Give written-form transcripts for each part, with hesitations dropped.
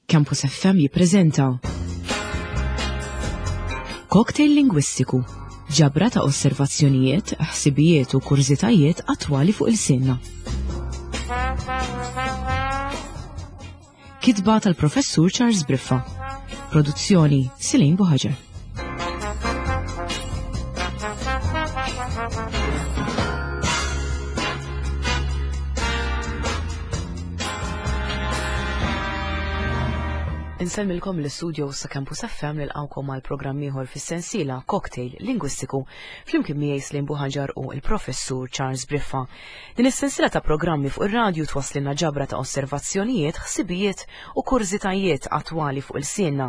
Campus FM jippreżenta Cocktail Lingwistiku, ġabra ta' osservazzjonijiet, ħsibijiet u kurżitajiet attwali fuq il-sinna. Kitba tal-Professur Charles Briffa. Produzzjoni Silin Buħaġer. Insellmilkom l-istudio sa Campus FM nilqawkom għal programm ieħor fis-sensiela Cocktail Lingwistiku flimkien miegħi Slim Buħaġar u l-Professur Charles Briffa. Din is-sensiela ta' programmi fuq ir-radju twasslilna ġabra ta' osservazzjonijiet, ħsibijiet u kurżitajiet attwali fuq il-sienna.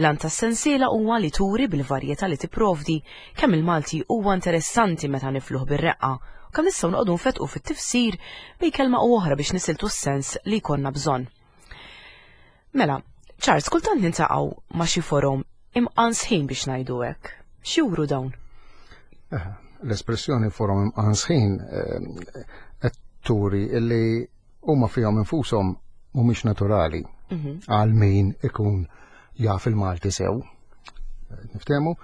L-għan tas-sensiela huwa li turi bil-varjetà li tipprovdi kemm il-Malti huwa interessanti meta nifluh bir-reqqa u kemm nistgħu noqogħdu nfettqu fit-tifsir bejn kelma u oħra biex nisiltu s-sens li jkollna bżonn. Mela, Charles, kultant nintaqgħu ma' xi forom imqansħin biex ngħidu hekk. X'juru dawn? Eh, l-espressjoni forom imqansħin eh, qed turi illi huma fihom infushom mhumiex naturali mhm. għal min ikun jaf il-Malti sew. Niftehmu?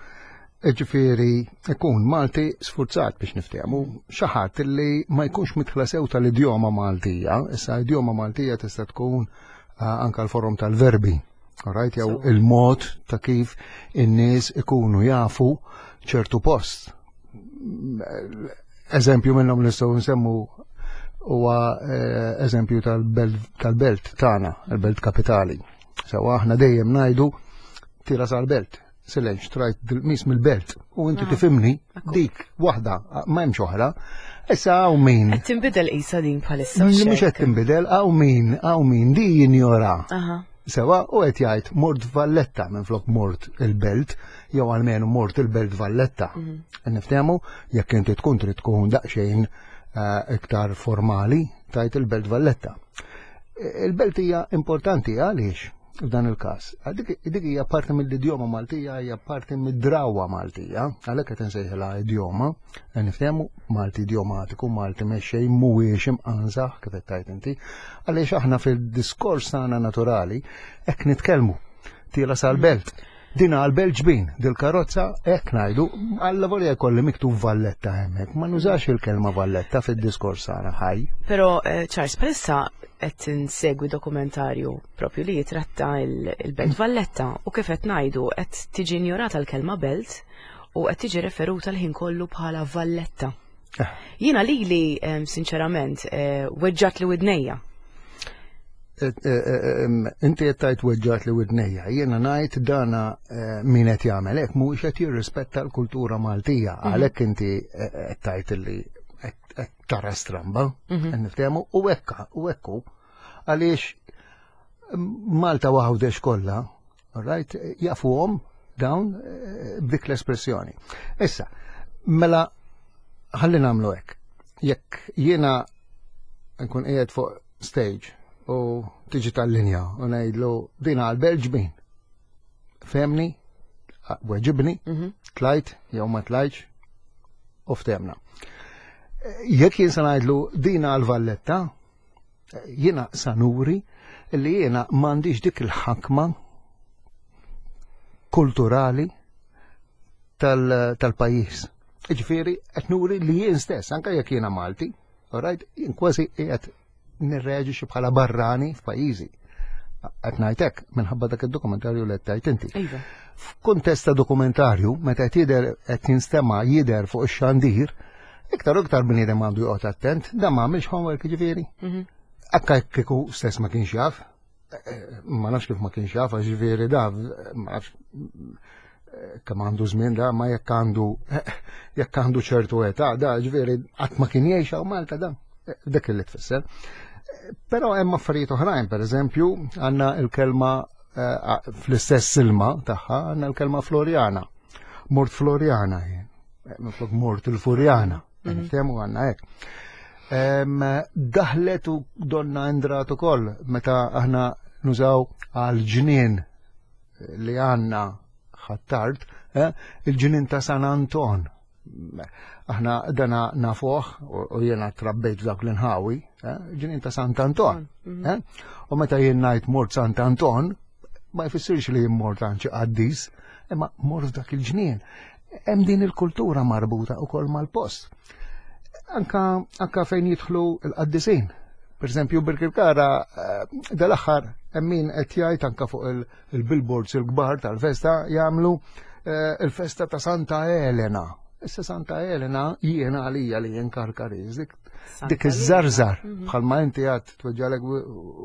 Ġifieri ikun Malti sfurzat biex niftehmu xi ħadd li ma jkunx mitħla sew tal-idjoma Maltija, issa idjoma Maltija tista' tkun eh, anka l-forom tal-verbi. Right, jew il-mod ta' kif in-nies ikunu jafu ċertu post Eżempju minnhom nistgħu nsemmu huwa eh, eżempju tal-belt tagħna, il-belt kapitali. Sewa aħna dejjem ngħidu tira sal-belt. Silenx, trajt dil-mis mill-belt u inti ah, tifimni dik waħda, ma hemmx oħra. Issa hawn min. Qed tinbidel qisha din bħalissa. Mhux qed tinbidel, hawn min, hawn min di jinjora. Sewa u qed jgħid mort Valletta minflok mort il-belt, jew almenu mort il-belt Valletta. Mhm. Niftehmu jekk inti tkun trid tkun daqsxejn eh, iktar formali tajt il-belt Valletta. Il-belt hija importanti għaliex f'dan il-każ. Dik hija parti mill-idjoma Maltija, hija parti mid-drawa Maltija, għalhekk qed insejħilha idjoma. Niftehmu Malti idjomatiku, Malti mexxej mhuwiex imqanżaħ kif qed tgħid inti, għaliex aħna fil-diskors tagħna naturali hekk nitkellmu. Tiela sal-belt. Din għal-belt ġbin, dil-karozza hekk ngħidu, alla volja jkolli miktub Valletta hemmhekk, ma nużax il-kelma Valletta fid-diskors tagħna ħaj. Però eh, Charles, palissa qed insegwi dokumentarju propju li jitratta il-Belt Valletta u kif qed ngħidu qed tiġi injorata l-kelma belt u qed tiġi referuta l-ħin kollu bħala Valletta. Eh. Jiena lili sinċerament eh, weġġat li widnejja. Eh, inti qed tgħid weġġat li widnejja, jiena ngħid dana min qed jagħmel hekk mhuwiex qed jirrispetta l-kultura Maltija, mhm. għalhekk inti qed tgħid li qed tara stramba, mhm. niftehmu u hekk u hekk għaliex Malta waħdex kollha Right? Jafuhom dawn eh, b'dik l-espressjoni. Issa, mela ħalli nagħmlu hekk. Jekk jiena nkun qiegħed fuq stage u tiġi tal-linja u ngħidlu din għal Belġbin. Femni, weġibni, mhm. tlajt jew ma tlajtx u ftemna. Jekk jien se ngħidlu din għal Valletta, Jiena sa nuri li jiena m'għandix dik il-ħakma kulturali tal-pajjiż. Ġifieri qed nuri li jien stess, anke jekk jiena Malti, right, jien kważi qiegħed nirreaġixxi bħala barrani f'pajjiżi. Qed ngħid hekk minħabba dak id-dokumentarju li qed tgħid inti. Iva. F'kuntest ta' dokumentarju, meta qed jidher qed jinstema' jidher fuq ix-xandir, Iktar u iktar bniedem għandu joqgħod attent, dan ma għamilx homework ġifieri. Mhm. Akka kieku stess ma kienx jaf, eh, eh, ma nafx kif ma kienx jaf, għax ġifieri da, ma nafx eh, kemm għandu żmien da, ma jekk għandu jekk għandu ċertu età, da ġifieri qatt ma kien jgħix hawn Malta da. Dak li tfisser. Però hemm affarijiet oħrajn, per eżempju, għandna l-kelma fl-istess silma tagħha għandna l-kelma Floriana. Mort Floriana jien. Eh, minflok mort il-Furjana, mhm. niftehmu għandna hekk. Daħlet u donna indrat ukoll meta aħna nużaw għal ġnien li għandna ħattart, eh, il-ġnien ta' San Anton. Aħna dana nafuh u jiena trabbejt f'dawk l-inħawi, eh, ġnien ta' Sant Anton. Mhm. U meta jien ngħid mort Sant Anton, Ma jfissirx li jimmort għand xi qaddis, imma mort f'dak il-ġnien. Hemm din il-kultura marbuta wkoll mal-post. Anka, anka fejn jidħlu l-qaddisin. Per eżempju, Birkirkara eh, dal-aħħar hemm min qed jgħid anka fuq il-billboards il-kbar tal-festa jagħmlu eh, il-festa ta' Santa Elena. Issa Santa Elena jiena għalija li jien Karkariż, dik dik iż-żarżar mhm. bħalma inti għad tweġġalek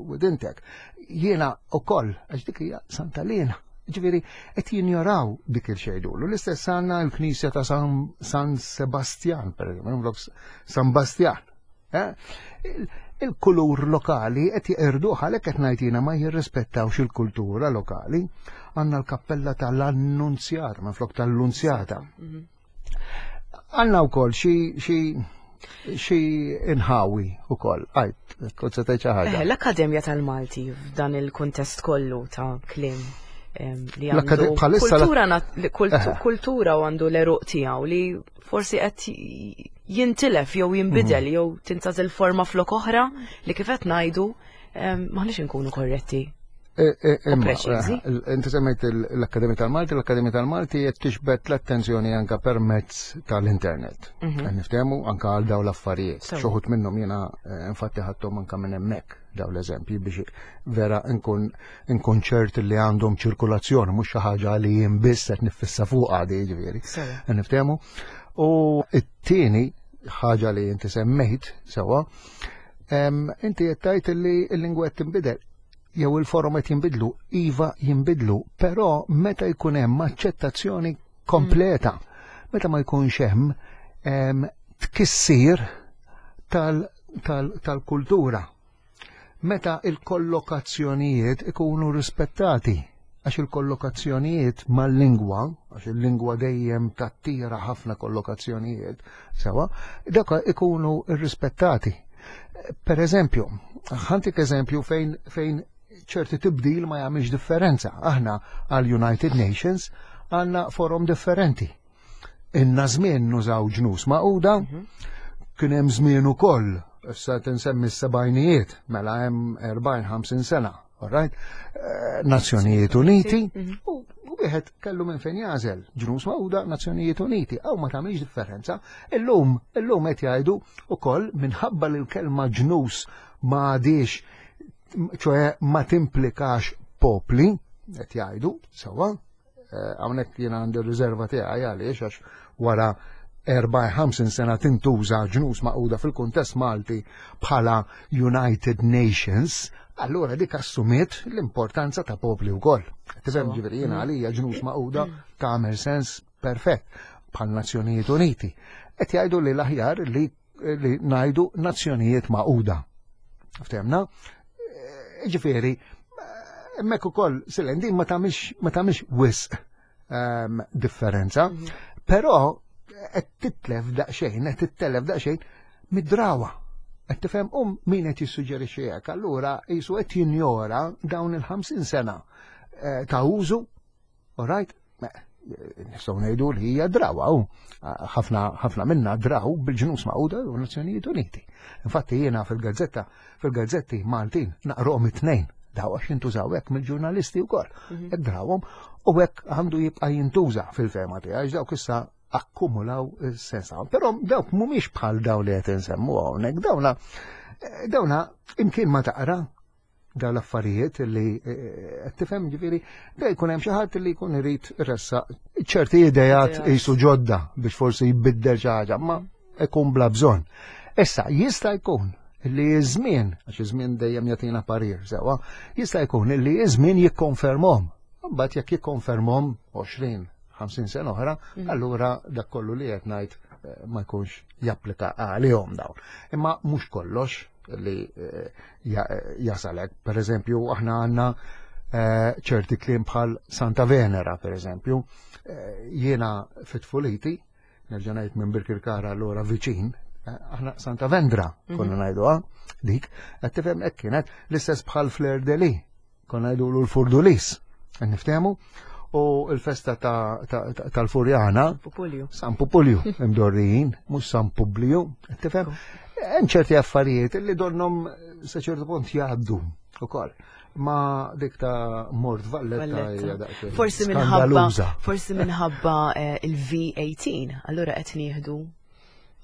widintek. Jiena ukoll għax dik hija Santa Elena. Ġifieri qed jinjoraw dik il-xejdulu. L-istess għandna l-Knisja ta' San Sebastian, per eżempju, San Bastian. Eh? Il-kulur lokali qed jeqirduh għalhekk qed ngħid jiena ma jirrispettawx il-kultura lokali. Għandna l-kappella tal-Annunzjata, minflok tal-Lunzjata. Mhm. Għandna wkoll xi xi xi inħawi ukoll. Għajt, kont se tgħid xi ħaġa. Eh, L-Akkademja tal-Malti f'dan il-kuntest kollu ta' kliem li għandu kultura eh. kultura u għandu l-eruq tiegħu li forsi qed jintilef jew jinbidel mhm. jew tintażel forma flok oħra li kif qed ngħidu maħniex inkunu korretti. E, e, eh, inti semmejt l-Akkademja tal-Malti, l-Akkademja tal-Malti qed tixbet l-attenzjoni anka permezz tal-internet. Mhm. Niftehmu anka għal daw l-affarijiet. Xoħut minnhom jiena eh, infatti ħadthom anka minn hemmhekk daw l-eżempji biex vera nkun nkun ċert li għandhom ċirkulazzjoni mhux xi ħaġa li jien biss qed niffissa fuq għadi jiġifieri. Niftehmu. U t-tieni ħaġa li inti semmejt sewwa, inti qed tgħid li l-lingwa qed tinbidel jew il-forom qed jinbidlu, iva jinbidlu, però meta jkun hemm aċċettazzjoni kompleta, meta ma jkunx hemm tkissir tal-kultura. Meta il-kollokazzjonijiet ikunu rispettati, għax il-kollokazzjonijiet mal-lingwa, għax il-lingwa dejjem tattira ħafna kollokazzjonijiet, sewa, dak ikunu rispettati. Per eżempju, ħantik eżempju fejn, fejn ċerti tibdil ma jagħmilx differenza. Aħna għal United Nations għandna forum differenti. Inna żmien nużaw ġnus maquda, mhm. kien hemm żmien ukoll, issa tinsemmi s-sebgħinijiet, mela hemm 40-50 sena, alright? Eh, Nazzjonijiet Uniti, mhm. u wieħed kellu minn fejn jażel, ġnus maquda, Nazzjonijiet Uniti, għaw ma tagħmilx differenza. Illum, illum qed jgħidu ukoll minħabba li l-kelma ġnus ma għadix ċoħe ma timplikax popli, qed jgħidu, sewwa, eh, hawnhekk jiena għandi r-riserva tiegħi għaliex għax wara 54 sena tintuża ġnus maquda fil-kuntest Malti bħala United Nations, allura dik assumiet l-importanza ta' popli wkoll. Tifhem ġifieri jiena mm. għalija ġnus maquda tagħmel sens perfett bħal Nazzjonijiet Uniti. Qed jgħidu li l-aħjar li li ngħidu nazzjonijiet maquda. Ftemna? Eh, ġifieri, hemmhekk ukoll silen din ma tagħmilx ma tagħmilx wisq ehm, differenza, mhm. però qed titlef daqsxejn, qed tittelef daqsxejn mid-drawa. Qed tifhem um min qed jissuġġerixxi hekk, allura qisu qed jinjora dawn il-50 sena eh, ta' użu All right? Nistgħu ngħidu li hija drawa u ħafna ħafna minna draw bil-ġnus maquda u Nazzjonijiet Uniti. Infatti jiena fil-gazzetta, fil-gazzetti Maltin naqrohom it-tnejn daw għax jintużaw hekk mill-ġurnalisti wkoll. Mhm. Hekk drawhom u hekk għandu jibqa' jintuża fil-fema tiegħi għax dawk issa akkumulaw is-sens Però dawk mhumiex bħal daw li qed insemmu hawnhekk, dawna dawna imkien ma taqra dawn l-affarijiet li eh, qed tifhem ġifieri da jkun hemm xi ħadd li jkun irid ressaq ċerti idejat qisu ġodda biex forsi jbiddel xi ħaġa, ma ikun bla bżonn. Issa jista' jkun li żmien, għax iż-żmien dejjem jagħtina parir sewwa, jista' jkun li iż-żmien jikkonfermhom. Mbagħad jekk jikkonfermhom 20, 50 sena oħra, mm. allura dak kollu li qed ngħid eh, ma jkunx japplika għalihom dawn. Imma mhux kollox li eh, jasalek. Per eżempju, aħna għandna eh, ċerti kliem bħal Santa Venera, per eżempju, eh, jiena fit-tfuliti, nerġa' ngħid minn Birkirkara allura viċin, aħna Santa Vendra mhm. konna ngħiduha dik, qed tifhem hekk kienet l-istess bħal Flair Deli, konna ngħidulu l-Furdulis, niftehmu, u l-festa tal-Furjana. San Pupulju, imdorrijin, mhux San Publiju, tifhem? Hemm ċerti affarijiet li donnom sa ċertu punt jgħaddu ukoll. Ma dik ta' Mort Valletta hija daqsxejn. Forsi minħabba forsi minħabba eh, il-V18, allura qed nieħdu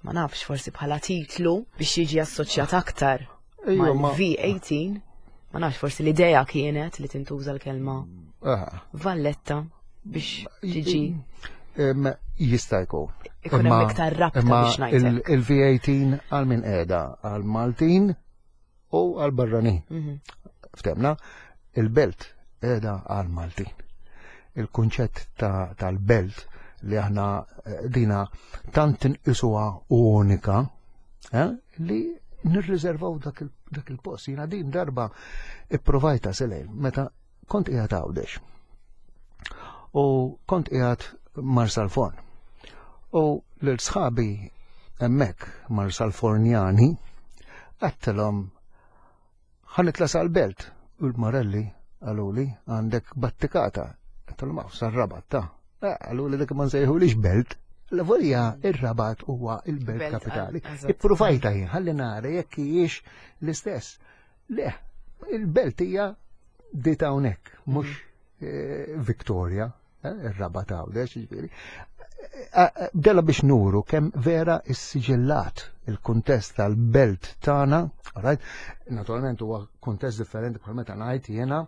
ma nafx forsi bħala titlu biex jiġi assoċjat aktar mal-V18. Ma nafx forsi l-idea kienet li tintuża l-kelma Valletta biex tiġi. Jista' jkun. Ikun hemm iktar rabta biex ngħidlek. Il-V18 għal min qiegħda għal Maltin u għal barranin. Mhm. Ftemna, il-belt qiegħda għal Maltin. Il-kunċett tal-belt li aħna eh, dina tant inqisuha unika eh, li nirriservaw dak il-post. Jina din darba ipprovajta selejn meta kont qiegħed Għawdex. U kont qiegħed Marsalforn. U lil sħabi hemmhekk Marsalfornjani għattilhom ħanitla sal-belt u l-Marelli għaluli għandek battikata. Għattilhom għaw sar-rabat ta' eh, għaluli dik ma nsejħulix belt. L-volja ir-rabat huwa il-belt kapitali. Ippruvajta jien ħalli nara jekk hijiex l-istess. Le, il-belt hija dit hawnhekk, mhux mhm. eh, Victoria, eh, ir-Rabat Għawdex, jiġifieri. Eh, della biex nuru kemm vera issiġillat il-kuntest tal-belt tagħna, right? Naturalment huwa kuntest differenti bħal meta ngħid jiena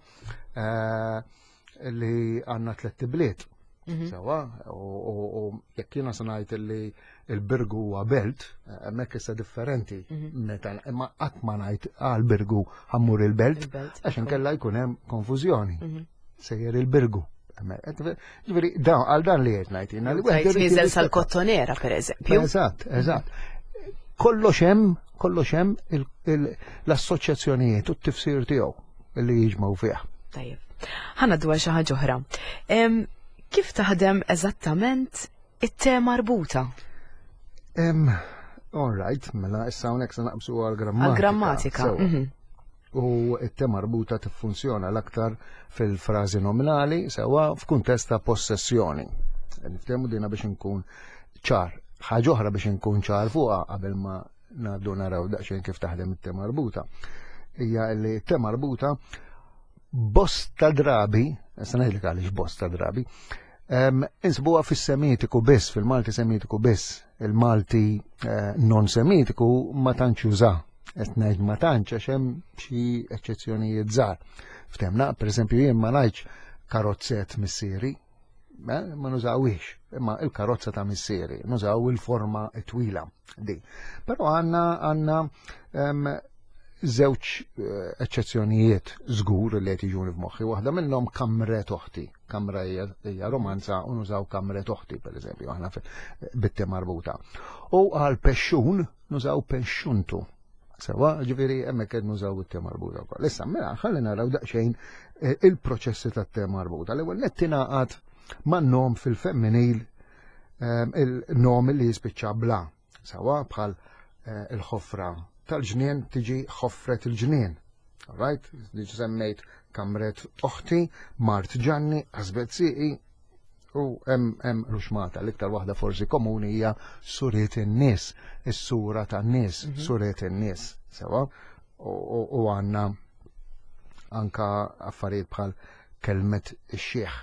li għandna tlett ibliet. Mhm. Sewa, u jekk jiena se ngħid li il-Birgu huwa belt, hemmhekk issa differenti mhm. meta imma qatt ma ngħid għal Birgu ħammur il-belt, għax inkella jkun hemm konfużjoni. Mhm. Sejjer il-Birgu. Ġifieri, dan għal dan li qed ngħid jiena li wieħed niżel sal-kottonera pereżempju. Eżatt, eżatt. Kollox hemm, kollox hemm l-assoċjazzjonijiet u t-tifsir tiegħu li jiġmaw fih. Tajjeb. Ħana dwar xi ħaġa oħra. Kif taħdem eżattament it-te marbuta? All right, mela issa hawnhekk se naqbsu għall-grammatika. Għall-grammatika. Mhm. U it-te marbuta tiffunzjona l-aktar fil-frażi nominali sewa f'kuntest ta' possessjoni. Niftehmu dina biex inkun ċar. Ħaġa oħra biex inkun ċar fuqha qabel ma ngħaddu naraw daqsxejn kif taħdem it-te marbuta. Hija li t-te marbuta bosta drabi, issa ngħidlek għaliex bosta drabi, insibuha fis-Semitiku biss, fil-Malti Semitiku biss, il-Malti eh, non Semitiku ma tantx juża. Qed ngħid ma tantx għax hemm xi eċċezzjonijiet żgħar. Ftemna, pereżempju jien ma ngħidx karozzet missieri, eh, ma nużawhiex, imma il-karozza ta' missieri, nużaw il-forma twila di. Però għandna għandna żewġ eh, eċċezzjonijiet żgur li qed jiġuni f'moħħi. Waħda minnhom kamret oħti. Kamra hija romanza u nużaw kamret oħti, pereżempju, aħna bitte marbuta. U għal pexxun nużaw pexxuntu. Sewa, ġifieri hemmhekk qed nużaw it-te marbuta wkoll. Issa mela ħalli naraw daqsxejn eh, il-proċessi tat-te marbuta. L-ewwel nett tingħaqad man-nom fil-femminil eh, il-nom li jispiċċa bla. Sewa bħal eh, il-ħofra tal-ġnien tiġi ħofret il-ġnien. Right? Diġ semmejt kamret oħti, Mart Ġanni, Asbet Siqi, U hemm hemm ruxmata l-iktar waħda forsi komuni hija suriet in-nies, is-sura tan-nies, mhm. suriet in-nies, sewa. U għandna anka affarijiet bħal kelmet ix-xieħ,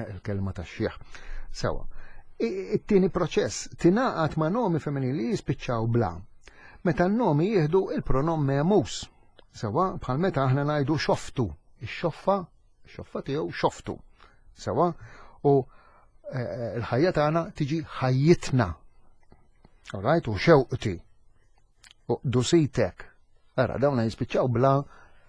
il-kelma tax-xieħ. Sewa. It-tieni proċess tingħaqad ma' nomi femminili jispiċċaw bla. Meta n-nomi jieħdu il-pronom memus. Sewa, bħal meta aħna ngħidu xoftu, ix-xoffa xoffa tiegħu xoftu. Sewa, u eh, eh, l-ħajja tagħna tiġi ħajjitna. All right, u xewqti. U dusitek. Ara, dawna jispiċċaw bla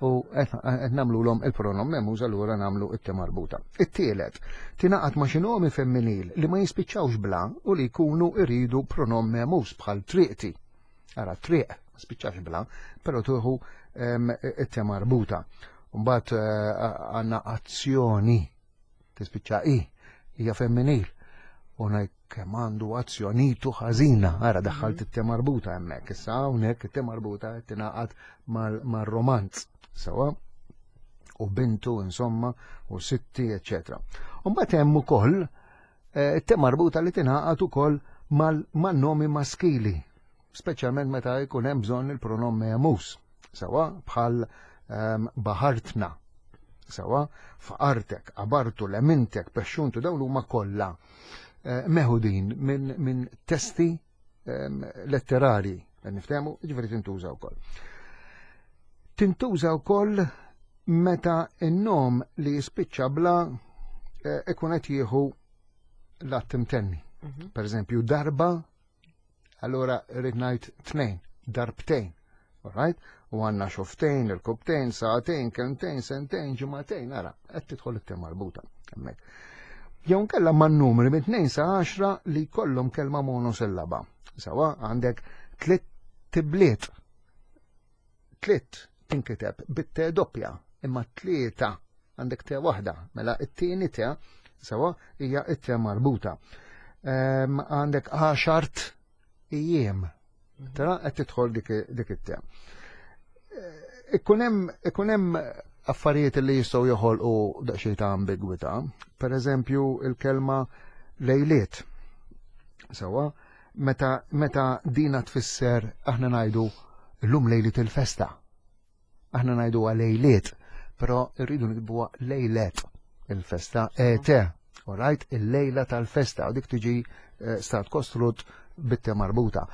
u qed nagħmluhom il-pronom memuż allura nagħmlu it marbuta. It-tielet, tingħaqad ma' xi nomi femminil li ma jispiċċawx bla u li jkunu iridu pronom memuż bħal triqti. Ara, triq, ma spiċċax bla, però tuħu it-te marbuta. Mbagħad eh, għandna azzjoni tispiċċa i, hija femminil. U ngħid kemm għandu azzjonitu ħażina, ara daħħalt mhm. it-te marbuta hemmhekk, issa hawnhekk it-te marbuta qed tingħaqad mar-romanz. Sewa u bintu insomma u sitti, eccetera. Mbagħad hemm ukoll eh, it-te marbuta li tingħaqad ukoll mal-nomi maskili speċjalment meta jkun hemm bżonn il-pronom memus, sewa bħal ehm, baħartna. Sawa, faqartek, qabartu, lemintek, pexxuntu, dawn huma kollha eh, meħudin minn min testi ehm, letterari, niftehmu, ġifieri tintuża wkoll. Tintuża wkoll meta n-nom li jispiċċa bla eh, ikun qed jieħu l-att imtenni. Mhm. Per eżempju, darba, allura rrid ngħid tnejn, darbtejn. Alright? U għandna xoftejn, il-kubtejn, saħtejn, kelmtejn, sentejn, ġimagħtejn, ara, qed tidħol it marbuta hemmhekk. Jew nkella man numri minn 2 sa 10 li jkollhom kelma monosillaba. Sawa għandek tliet tibliet. Tliet tinkiteb bit-te doppja, imma tlieta għandek te waħda, mela it-tieni te sawa hija it-te marbuta. Ehm, għandek għaxart ijiem. Mhm. Tara qed tidħol dik it-te. Eh, ikun hemm affarijiet li jistgħu joħolqu daqsxejn ta' ambigwità. Per eżempju, il-kelma lejliet. Sawa, meta, meta dina tfisser aħna ngħidu llum lejliet il-festa. Aħna ngħidu lejliet, però rridu nikbuha lejlet il-festa ete. Alright, il-lejla tal-festa, u dik tiġi eh, stat kostrut bitte marbuta.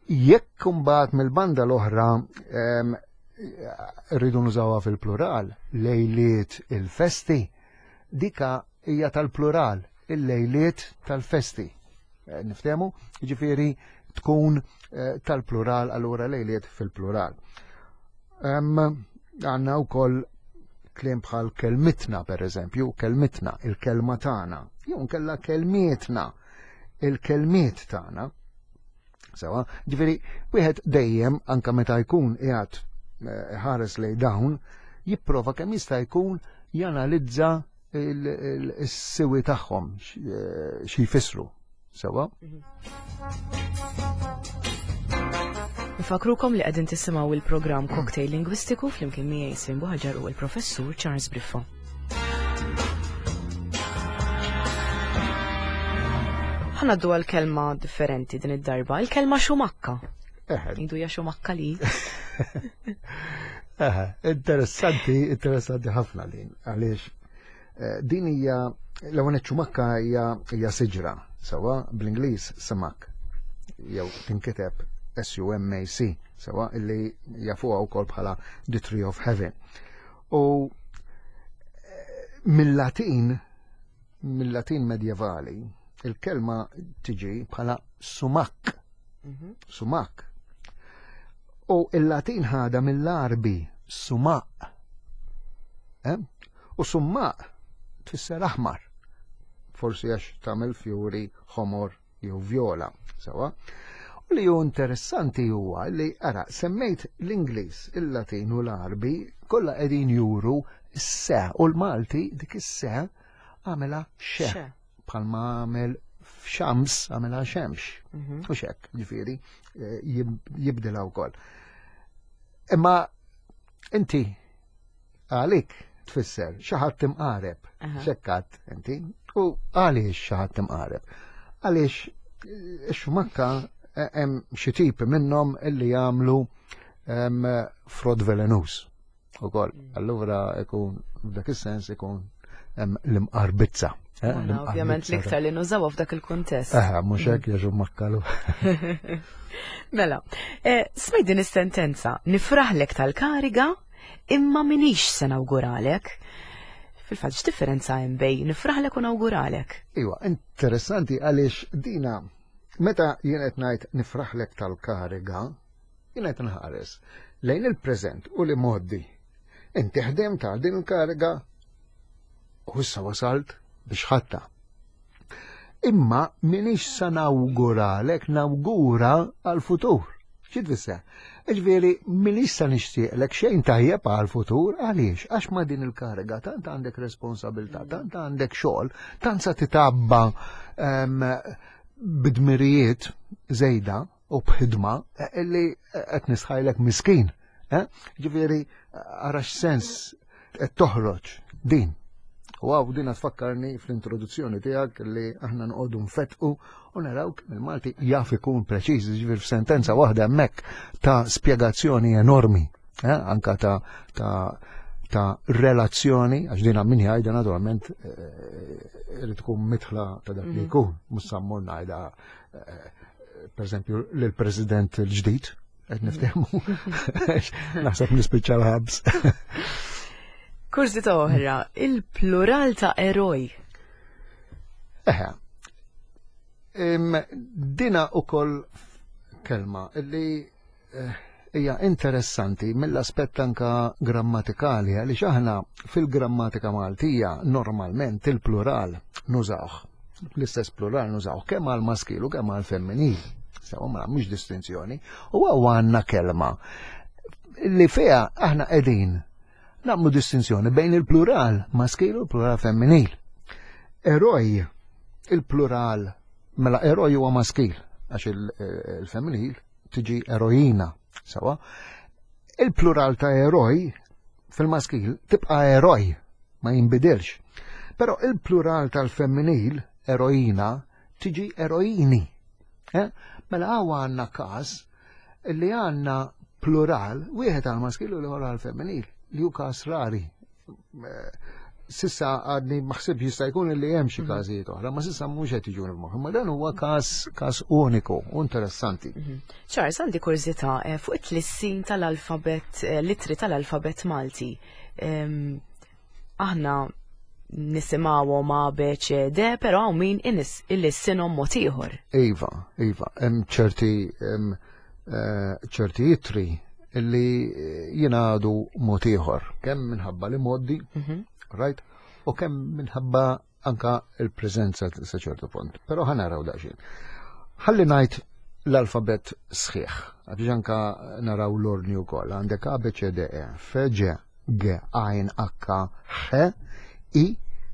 Jekk imbagħad mill-banda l-oħra ehm, rridu nużawha fil-plural, lejliet il-festi, dika hija tal-plural, il-lejliet tal-festi. Eh, niftehmu, ġifieri tkun eh, tal-plural allura lejliet fil-plural. Għanna wkoll kliem bħal kelmitna per eżempju, kelmitna, il-kelma tagħna, jew nkella kelmietna, il-kelmiet tagħna. Sewa, ġifieri wieħed dejjem anka meta jkun qiegħed eh, ħares lej dawn, jipprova kemm jista' jkun janalizza il-siwi tagħhom eh, xi jfissru. Sewa? Nfakrukom li qegħdin tisimgħu il-programm Cocktail Lingwistiku flimkien miegħi Slim Buħaġar u l-Professur Charles Briffo. Ħanaddu għal kelma differenti din id-darba, il-kelma xumakka. Idu ja xumakka li. Interessanti, interessanti ħafna din, għaliex eh, din hija l-ewwel xumakka hija siġra, sewa bl-Ingliż sumak jew tinkiteb S-U-M-A-C, sewa illi jafuha wkoll bħala the tree of heaven. U eh, mill-Latin, mill-Latin medjevali, il-kelma tiġi bħala sumak. Mhm. Sumak. U il-Latin ħada mill-Arbi sumaq. Eh? U sumaq tfisser aħmar. Forsi għax tagħmel fjuri ħomor jew vjola. Sewa. U li hu interessanti huwa li ara semmejt l-Ingliż, il-Latin u l-Arbi kollha qegħdin juru s-se u l-Malti dik is-se għamela xe. Bħalma għamel f'xams għamela xemx. Mhm. U xek, ġifieri, eh, jibdilha wkoll. Imma inti għalik tfisser xi ħadd timqareb, xekkat inti, u għaliex xi ħadd timqareb. Għaliex eh, xumakka eh, hemm xi tipi minnhom illi jagħmlu frod velenus. Ukoll, mm. allura ikun f'dak is-sens ikun l-imqarbizza. Eh, ovvjament l-iktar li nużawha f'dak il-kuntest. Eh, mhux hekk mm. jaġu makkalu. Mela, eh, smajt din is-sentenza, nifraħlek tal-kariga imma minix se nawguralek. Fil-fatt x'differenza hemm bej nifraħlek u nawguralek? Iwa, interessanti għaliex dina meta jien qed ngħid nifraħlek tal-kariga, jien qed nħares lejn il-preżent u li moddi. Inti ħdem tal din il-kariga u issa wasalt biex ħatta. Imma minix sa nawguralek nawgura għal-futur. Xi tfisser? Ġifieri minix sa nixtieqlek xejn tajjeb għal-futur għaliex? Għax ma din il-kariga tant għandek responsabilità, tant għandek xogħol, tant sa titabba ehm, bidmirijiet żejda u b'ħidma eh, illi eh, qed nisħajlek miskin. Eh? Ġifieri ara x'sens qed toħroġ din. U għaw din tfakkarni fl-introduzzjoni tiegħek li aħna nqogħdu nfetqu u naraw kemm il-Malti jaf ikun preċiż, ġifieri f'sentenza waħda hemmhekk ta' spjegazzjoni enormi, anka ta' ta' ta' relazzjoni, għax dina min jgħidha naturalment eh, irid tkun mitħla ta' dak li mhm. jkun, mhux sa mmur ngħidha eh, per eżempju lill-President il-ġdid, qed mhm. niftehmu, naħseb nispiċċa l-ħabs. Kurżità oħra, il-plural ta' eroj. Eħe, Dina ukoll kelma li eh, hija interessanti mill-aspett anka grammatikali għaliex aħna fil-grammatika Maltija normalment il-plural nużawh. L-istess plural nużawh kemm għal maskil u kemm għal femminil. Sewa ma mhux distinzjoni. U għaw għandna kelma li fiha aħna qegħdin nagħmlu distinzjoni bejn il-plural maskil u l-plural femminil. Eroj, il-plural, mela eroj huwa maskil, għax il-femminil tiġi erojina, sawa. Il-plural ta' eroj fil-maskil tibqa' eroj, ma jinbidilx. Però il-plural tal-femminil, erojina, tiġi erojini. Eh? Mela għaw għanna kas li għanna plural, wieħed għal maskil u l-ieħor għal femminil, li hu każ rari. Eh, sissa għadni maħsib jista' jkun li hemm xi mhm. każijiet oħra, ma sissa mhux qed jiġu f'moħħi, ma dan huwa każ każ uniku u interessanti. Mhm. Charles, għandi kurżità eh, fuq it-tlissin tal-alfabet, eh, litri tal-alfabet Malti. Ehm, aħna nisimgħuhom A, B, C, D, però hawn min ilissinhom mod ieħor. Iva, iva, hemm ċerti eh, ċerti itri illi eh, jingħadu mod ieħor, kemm minħabba li moddi, mhm. right, u kemm minħabba anka il-preżenza sa ċertu punt. Però ħanaraw daqsxejn. Ħalli ngħid l-alfabet sħiħ, għax anka naraw l-ordni wkoll. Għandek A, B, C, D, E, F, G, G, A, N, H, H, I,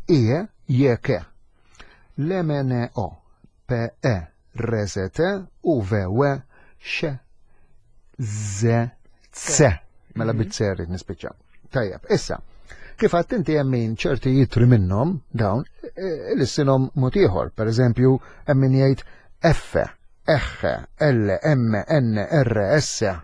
I, J, K. L, M, N, O, P, E, R, S, T, U, V, W, X, Z, C. Mela mhm. bit-C rrid nispiċċa. Tajjeb, issa, kif għadt inti hemm min ċerti jitri minnhom dawn e, l-issinhom mod ieħor. Per eżempju, hemm min jgħid F, H, L, M, N, R, S,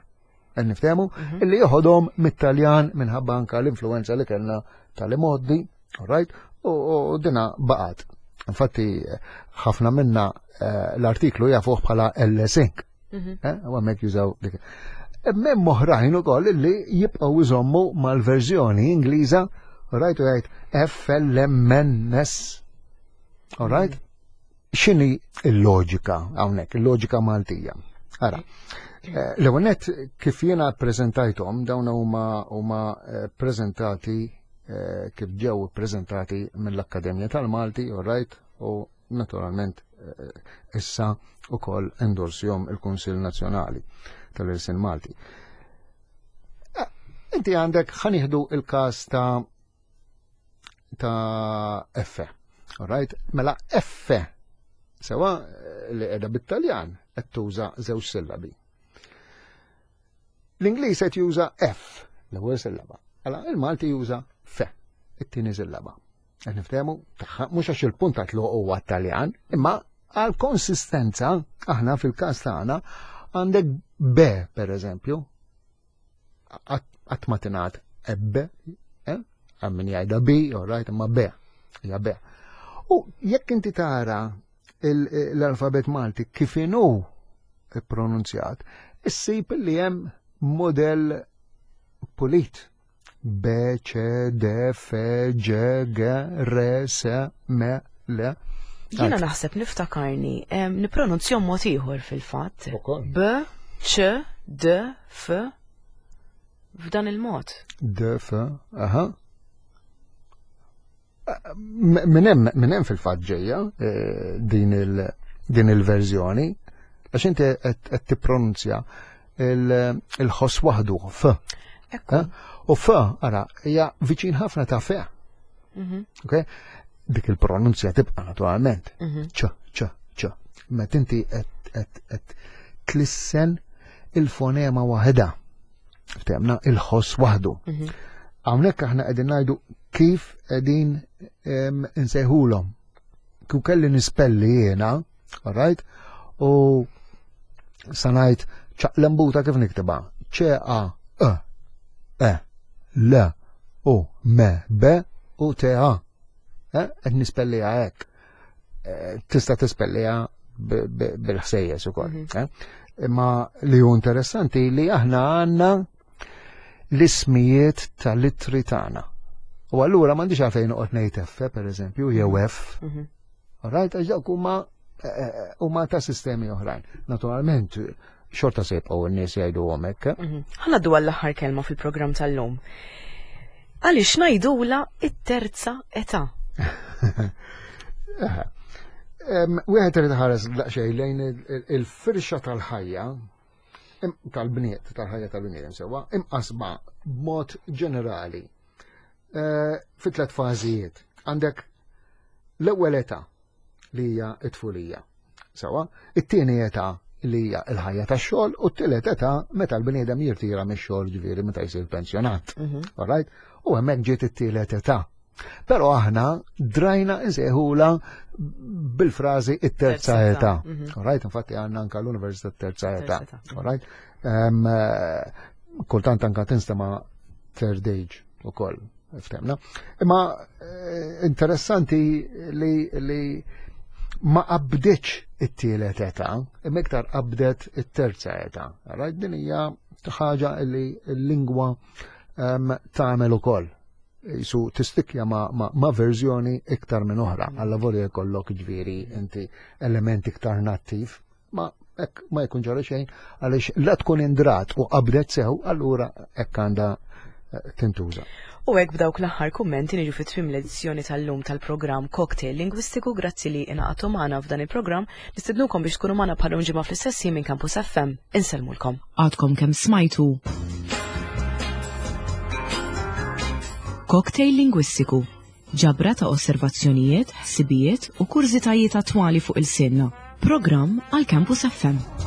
niftehmu, mhm. illi joħodhom mit-Taljan minħabba anka l-influenza li kellna tal-imoddi, right? U dina baqgħet. Infatti, ħafna minna eh, l-artiklu jafuh bħala L-Sync. Mhm. Eh, u hemmhekk jużaw dik. Hemm oħrajn ukoll li jibqgħu jżommu mal-verżjoni Ingliża, right u jgħid FLMNS. All right? Mhm. X'inhi l-loġika hawnhekk, il-loġika Maltija? Ara, eh, l-ewwel nett kif jiena ppreżentajthom dawn huma huma eh, preżentati kif ġew ippreżentati mill-Akkademja tal-Malti, all right, u naturalment eh, issa ukoll endorsjom il-Kunsill Nazzjonali tal-Irsin Malti. Eh, inti għandek ħaniħdu il-każ ta' ta' F. Alright? Mela F sewa eh, li qiegħda bit-Taljan qed tuża żewġ sillabi. L-Ingliż qed juża F, l-ewwel sillaba. Mela il-Malti juża F, it-tieni sillaba. Qed niftehmu tagħha mhux għax il-punt ta' tluq huwa Taljan, imma għal konsistenza aħna fil-każ tagħna għandek B per eżempju, qatt ma tingħad ebbe, eh? Għal min jgħidha B, all right, imma B, hija B. U jekk inti tara l-alfabet Malti kif inhu pronunzjat, issib li hemm modell pulit. B, C, D, F, G, G, R, S, M, L. Jiena naħseb niftakarni, nipronunzjom mod ieħor fil-fatt. B, C, D, F, f'dan il-mod. D, F, aha. Minn hemm fil-fatt ġejja eh, din il-verżjoni, għax inti qed tippronunzja il-ħoss waħdu f. Eh? U f, ara, hija viċin ħafna ta' f. Mhm. Ok? Dik il-pronunzja tibqa' naturalment. Mhm. ċ, ċ, ċ. Meta inti qed tlissen il-fonema waħedha. Ftemna il-ħoss waħdu. Mhm. Hawnhekk aħna qegħdin ngħidu kif qegħdin insejħulhom. Kif kelli nispelli jiena, all right? U sanajt ċaqlembuta kif niktiba. C A E E L U M B u T A. Eh, qed nispelliha hekk. Eh, tista' tispelliha bil-ħsejjes ukoll. Mhm. Eh? Imma li hu interessanti li aħna għandna l-ismijiet tal-ittri tagħna. U allura m'għandix għalfejn noqgħod ngħid F, pereżempju, jew mhm. F. Mhm. Right, għax dawk huma eh, huma ta' sistemi oħrajn. Naturalment, xorta se jibqgħu n-nies jgħidu hekk. Mhm. Ħa ngħaddu għall-aħħar kelma fil-programm tal-lum. Għaliex ngħidula it-terza età? Wieħed irid ħares daqsxejn lejn il-firxa tal-ħajja tal-bniet, tal-ħajja tal-bniedem sewwa, imqasma b'mod ġenerali eh, fi tlet fażijiet. Għandek l-ewwel età li hija t-tfulija. Sewwa, it-tieni età li hija l-ħajja tax-xogħol u t-tielet età meta l-bniedem jirtira mix-xogħol ġifieri meta jsir pensjonat. Mhm. All right? U hemmhekk ġiet it-tielet età. Però aħna drajna insejħula bil-frażi it-terza età. Mhm. All right, infatti għandna anka l-Università terza età. All right? Eh, kultant anka tinstema third age ukoll ftemna. Imma eh, interessanti li, li ma qabditx it-tielet età, imma iktar qabdet it-terza età. Right, din hija ħaġa li l-lingwa ehm, tagħmel ukoll. Jisu tistikja ma, ma, ma verżjoni iktar minn oħra, mm. għalla volja jkollok ġviri inti element iktar nattiv, ma hekk ma jkun ġara xejn għaliex la tkun indrat u qabdet sew allura hekk għandha eh, tintuża. U hekk b'dawk l-aħħar kummenti niġu fi tmiem l-edizzjoni tal-lum tal-programm Cocktail Lingwistiku grazzi li ingħaqadtu magħna f'dan il-programm nistednukom biex tkunu magħna bħal ġimgħa fl-istess minn Campus FM. Insellmulkom. Għadkom kemm smajtu Cocktail Lingwistiku Ġabra ta' osservazzjonijiet, ħsibijiet u kurżitajiet attwali fuq ilsienna. Programm għal Campus FM.